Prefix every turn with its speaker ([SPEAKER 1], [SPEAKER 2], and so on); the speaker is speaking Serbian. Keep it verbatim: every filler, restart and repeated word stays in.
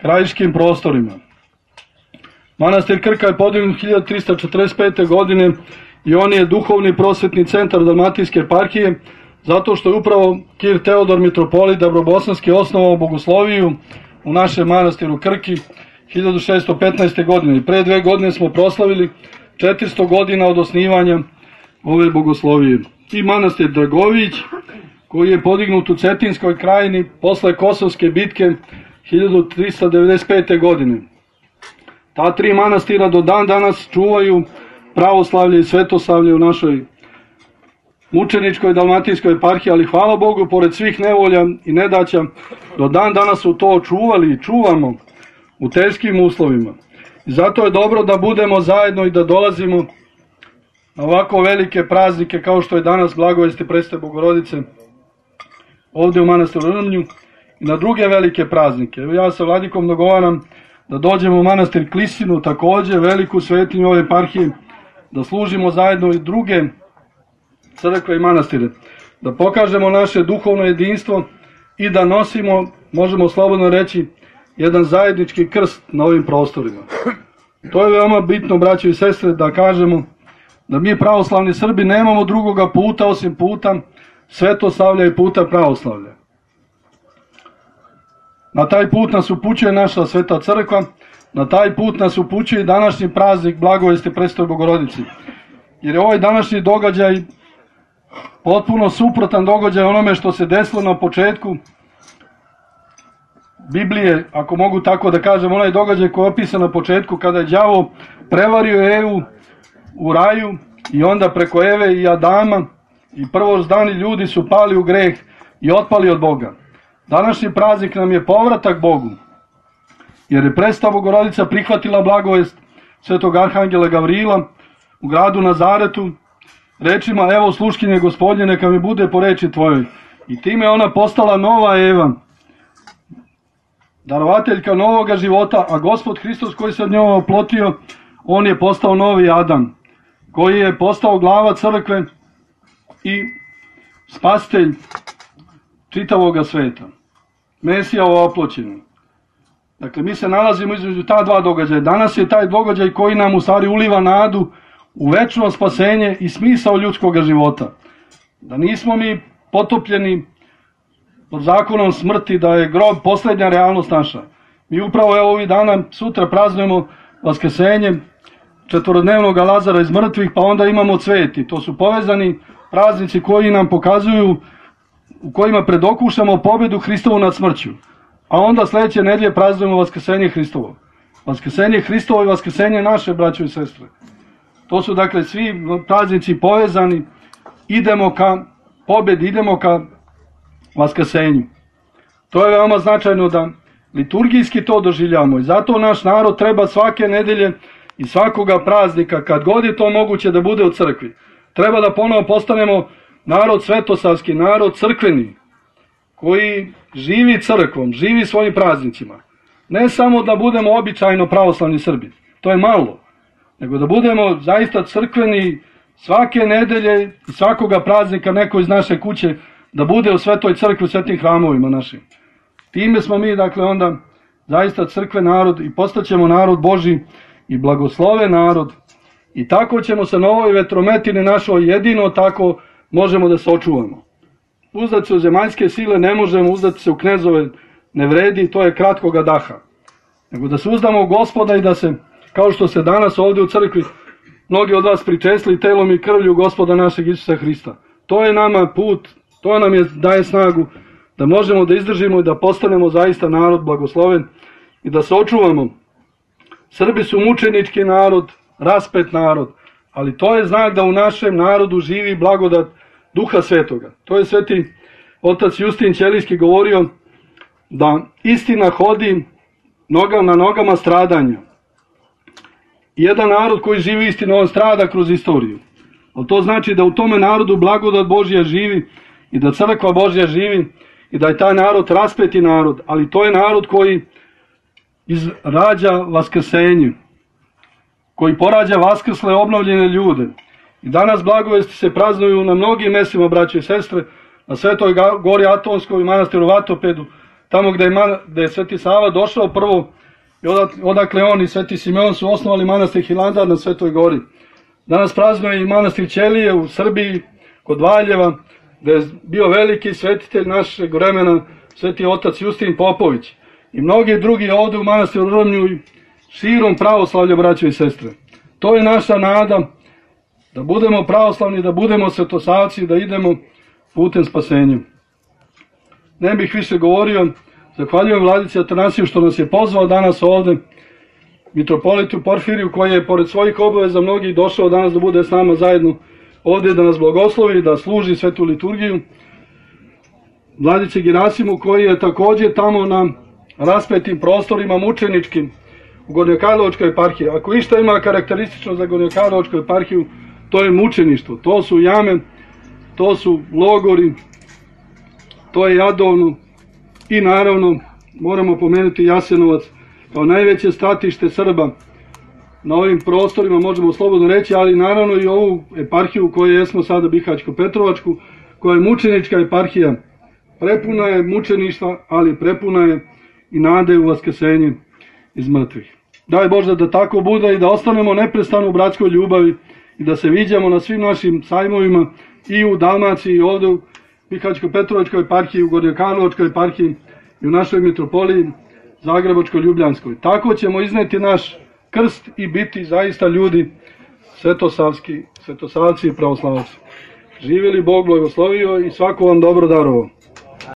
[SPEAKER 1] krajiškim prostorima. Manastir Krka je podignut hiljadu trista četrdeset pete. godine i on je duhovni prosvetni centar Dalmatinske eparhije, zato što je upravo Kir Teodor mitropolit Dabrobosanski osnovao bogosloviju u našem manastiru Krki hiljadu šeststo petnaeste. godine. I pre dve godine smo proslavili četiristo godina od osnivanja ove bogoslovije. I manastir Dragović, koji je podignut u Cetinskoj krajini posle Kosovske bitke hiljadu trista devedeset pete. godine. Ta tri manastira do dan danas čuvaju pravoslavlje i svetoslavlje u našoj mučeničkoj dalmatinskoj eparhiji, ali hvala Bogu, pored svih nevolja i nedaća, do dan danas su to čuvali i čuvamo u teškim uslovima. I zato je dobro da budemo zajedno i da dolazimo na ovako velike praznike kao što je danas Blagovesti Presvete Bogorodice ovdje u manastiru Rmnju i na druge velike praznike. Evo ja sa vladikom dogovaram da dođemo u manastir Klisinu, također veliku svetinju ove eparhije, da služimo zajedno i druge crkve i manastire, da pokažemo naše duhovno jedinstvo i da nosimo, možemo slobodno reći, jedan zajednički krst na ovim prostorima. To je veoma bitno, braćo i sestre, da kažemo da mi pravoslavni Srbi nemamo drugoga puta osim puta svetoslavlja i puta pravoslavlja. Na taj put nas upućuje naša Sveta Crkva, na taj put nas upućuje i današnji praznik Blagovesti Presvetoj Bogorodici. Jer je ovaj današnji događaj potpuno suprotan događaj onome što se desilo na početku Biblije, ako mogu tako da kažem, onaj događaj koji je opisan na početku kada je đavo prevario Evu u raju i onda preko Eve i Adama i prvozdani ljudi su pali u greh i otpali od Boga. Današnji praznik nam je povratak Bogu, jer je Presveta Bogorodica prihvatila blagovest svetog arhangela Gavrila u gradu Nazaretu rečima: evo sluškinje Gospodnje, neka mi bude po reči tvojoj. I time ona postala nova Eva, darovateljka novoga života, a Gospod Hristos koji se od njega oplotio, on je postao novi Adam, koji je postao glava crkve i spasitelj čitavoga sveta. Mesija oploćeni. Dakle, mi se nalazimo između ta dva događaja. Danas je taj događaj koji nam u stvari uliva nadu u večno spasenje i smisao ljudskog života. Da nismo mi potopljeni pod zakonom smrti, da je grob posljednja realnost naša. Mi upravo evo ovih dana, sutra praznujemo vaskrsenje četvorodnevnog Lazara iz mrtvih, pa onda imamo cveti. To su povezani praznici koji nam pokazuju, u kojima predokušamo pobedu Hristovu nad smrću. A onda sljedeće nedelje praznujemo vaskrsenje Hristovo. Vaskrsenje Hristovo i vaskrsenje naše, braćo i sestre. To su dakle svi praznici povezani, idemo ka pobedi, idemo ka vaskrsenju. To je veoma značajno da liturgijski to doživljamo i zato naš narod treba svake nedelje i svakoga praznika, kad god je to moguće, da bude u crkvi. Treba da ponovo postanemo narod svetosavski, narod crkveni, koji živi crkvom, živi svojim praznicima. Ne samo da budemo običajno pravoslavni Srbi, to je malo, nego da budemo zaista crkveni svake nedelje i svakoga praznika neko iz naše kuće da bude u svetoj crkvi, u svetim hramovima našim. Time smo mi, dakle, onda zaista crkve narod i postaćemo narod Božji i blagoslove narod i tako ćemo se na ovoj vetrometini našoj jedino tako možemo da se očuvamo. Uzdati se u zemaljske sile ne možemo, uzdati se u knezove ne vredi, to je kratkoga daha. Nego da se uzdamo u Gospoda i da se, kao što se danas ovdje u crkvi mnogi od vas pričesli telom i krvlju Gospoda našeg Isusa Hrista. To je nama put, to nam je daje snagu da možemo da izdržimo i da postanemo zaista narod blagosloven i da se očuvamo. Srbi su mučenički narod, raspet narod, ali to je znak da u našem narodu živi blagodat Duha Svetoga. To je sveti otac Justin Ćelijski govorio da istina hodi nogama na nogama stradanja. I jedan narod koji živi istinu, on strada kroz istoriju. Ali to znači da u tome narodu blagodat Božja živi i da crkva Božja živi i da je taj narod raspeti narod, ali to je narod koji rađa vaskrsenje, koji porađa vaskrsle obnovljene ljude. I danas blagovesti se praznuju na mnogim mestima, braće i sestre, na Svetoj gori Atonskoj i manastiru Vatopedu, tamo gde je, gde je Sveti Sava došao prvo, i odakle on i Sveti Simeon su osnovali manastir Hilandar na Svetoj gori. Danas praznuje i manastir Ćelije u Srbiji, kod Valjeva, gde je bio veliki svetitelj našeg vremena, Sveti otac Justin Popović. I mnogi drugi ovde u manastiru Rrmnju i širom pravoslavlja, braćo i sestre. To je naša nada, da budemo pravoslavni, da budemo svetosavci, da idemo putem spasenja. Ne bih više govorio, zahvaljujem Vladici Atanasiju što nas je pozvao danas ovde, mitropolitu Porfiriju, koji je pored svojih obaveza mnogih došao danas da bude s nama zajedno ovde, da nas blagoslovi, da služi svetu liturgiju. Vladice Girasimu, koji je takođe tamo na raspetim prostorima mučeničkim u Gornjokarlovačkoj eparhiji. Ako išta ima karakteristično za Gornjokarlovačku eparhiju, to je mučeništvo. To su jame, to su logori, to je Jadovno i naravno moramo pomenuti Jasenovac kao najveće stratište Srba na ovim prostorima, možemo slobodno reći, ali naravno i ovu eparhiju u kojoj jesmo sada, Bihaćko-Petrovačku, koja je mučenička eparhija. Prepuna je mučeništva, ali prepuna je i nade u vaskrsenje iz mrtvih. Daj Bože da tako bude i da ostanemo neprestano u bratskoj ljubavi i da se viđamo na svim našim sajmovima i u Dalmaciji i ovde u Bihaćko-Petrovačkoj eparhiji, u Gornjokarlovačkoj eparhiji i u našoj mitropoliji Zagrebačko-Ljubljanskoj. Tako ćemo izneti naš krst i biti zaista ljudi svetosavski, svetosavci i pravoslavci. Živjeli Bog blagoslovio i svako vam dobro darovao.